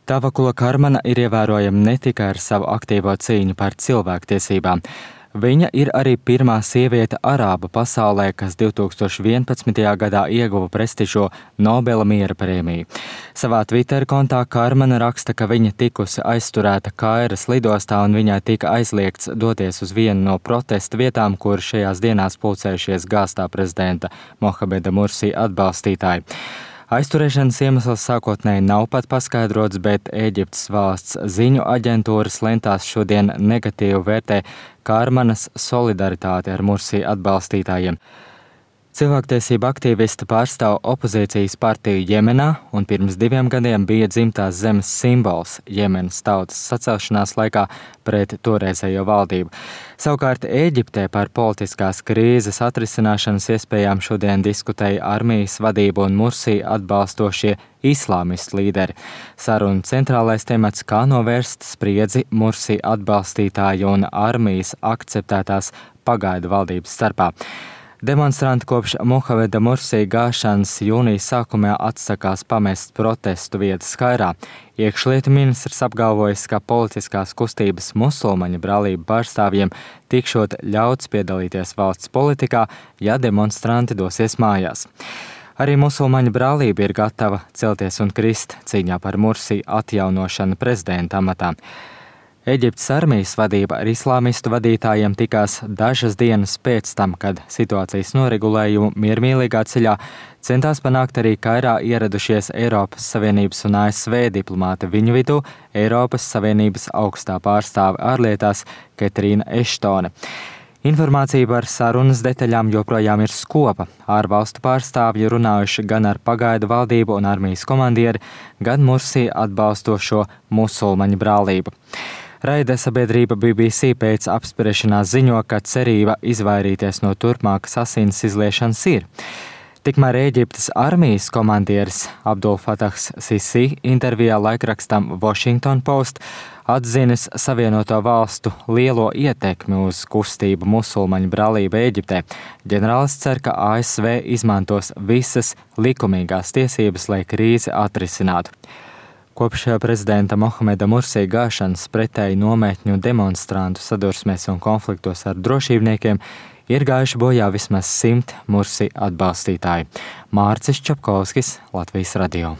Tavakula Karmana ir ievērojama ne tikai ar savu aktīvo cīņu par cilvēktiesībām. Viņa ir arī pirmā sieviete arābu pasaulē, kas 2011. gadā ieguva prestižo Nobela miera prēmiju. Savā Twitter kontā Karmana raksta, ka viņa tikusi aizturēta Kairas lidostā un viņai tika aizliegts doties uz vienu no protesta vietām, kur šajās dienās pulcējušies gāztā prezidenta Mohameda Mursi atbalstītāji. Aizturēšanas iemesls sākotnēji nav pat paskaidrots, bet Ēģiptes valsts ziņu aģentūras lentās šodien negatīvi vērtē Karmanas solidaritāti ar Mursi atbalstītājiem. Cilvēktiesība aktīvista pārstāv opozīcijas partiju Jemenā un pirms 2 gadiem bija dzimtās zemes simbols Jemenas tautas sacelšanās laikā pret toreizējo valdību. Savukārt Ēģiptē par politiskās krīzes atrisināšanas iespējām šodien diskutēja armijas vadība un Mursi atbalstošie islāmistu līderi. Sarunu centrālais temats, kā novērst spriedzi Mursi atbalstītāju un armijas akceptētās pagaidu valdības starpā. Demonstranti kopš Mohameda Mursi gāšanas jūnijas sākumā atsakās pamest protestu vietas Kairā. Iekšlietu ministrs apgalvojis, ka politiskās kustības musulmaņu brālību pārstāvjiem tikšot ļauts piedalīties valsts politikā, ja demonstranti dosies mājās. Arī musulmaņu brālība ir gatava celties un krist cīņā par Mursi atjaunošanu prezidenta amatā. Eģiptes armijas vadība ar islāmistu vadītājiem tikās dažas dienas pēc tam, kad situācijas noregulējumu miermīlīgā ceļā centās panākt arī Kairā ieradušies Eiropas Savienības un ASV diplomāti, viņu vidū Eiropas Savienības augstā pārstāve ārlietās Ketrīna Eštone. Informācija par sarunas detaļām joprojām ir skopa. Ārvalstu pārstāvji runājuši gan ar pagaidu valdību un armijas komandieri, gan Mursi atbalstošo musulmaņu brālību. Raida sabiedrība BBC pēc apspriešanās ziņo, ka cerība izvairīties no turpmākas asins izliešanas ir. Tikmēr Ēģiptes armijas komandieris Abdul Fatahs Sisi intervijā laikrakstam Washington Post atzinis Savienoto valstu lielo ietekmi uz kustību musulmaņu brālību Ēģiptē. Ģenerālis cer, ka ASV izmantos visas likumīgās tiesības, lai krīzi atrisinātu. Kopš prezidenta Mohameda Mursi gāšanas pretēji nometņu demonstrantu sadursmēs un konfliktos ar drošībniekiem ir gājuši bojā vismaz 100 Mursi atbalstītāji. Mārcis Čapkovskis, Latvijas radio.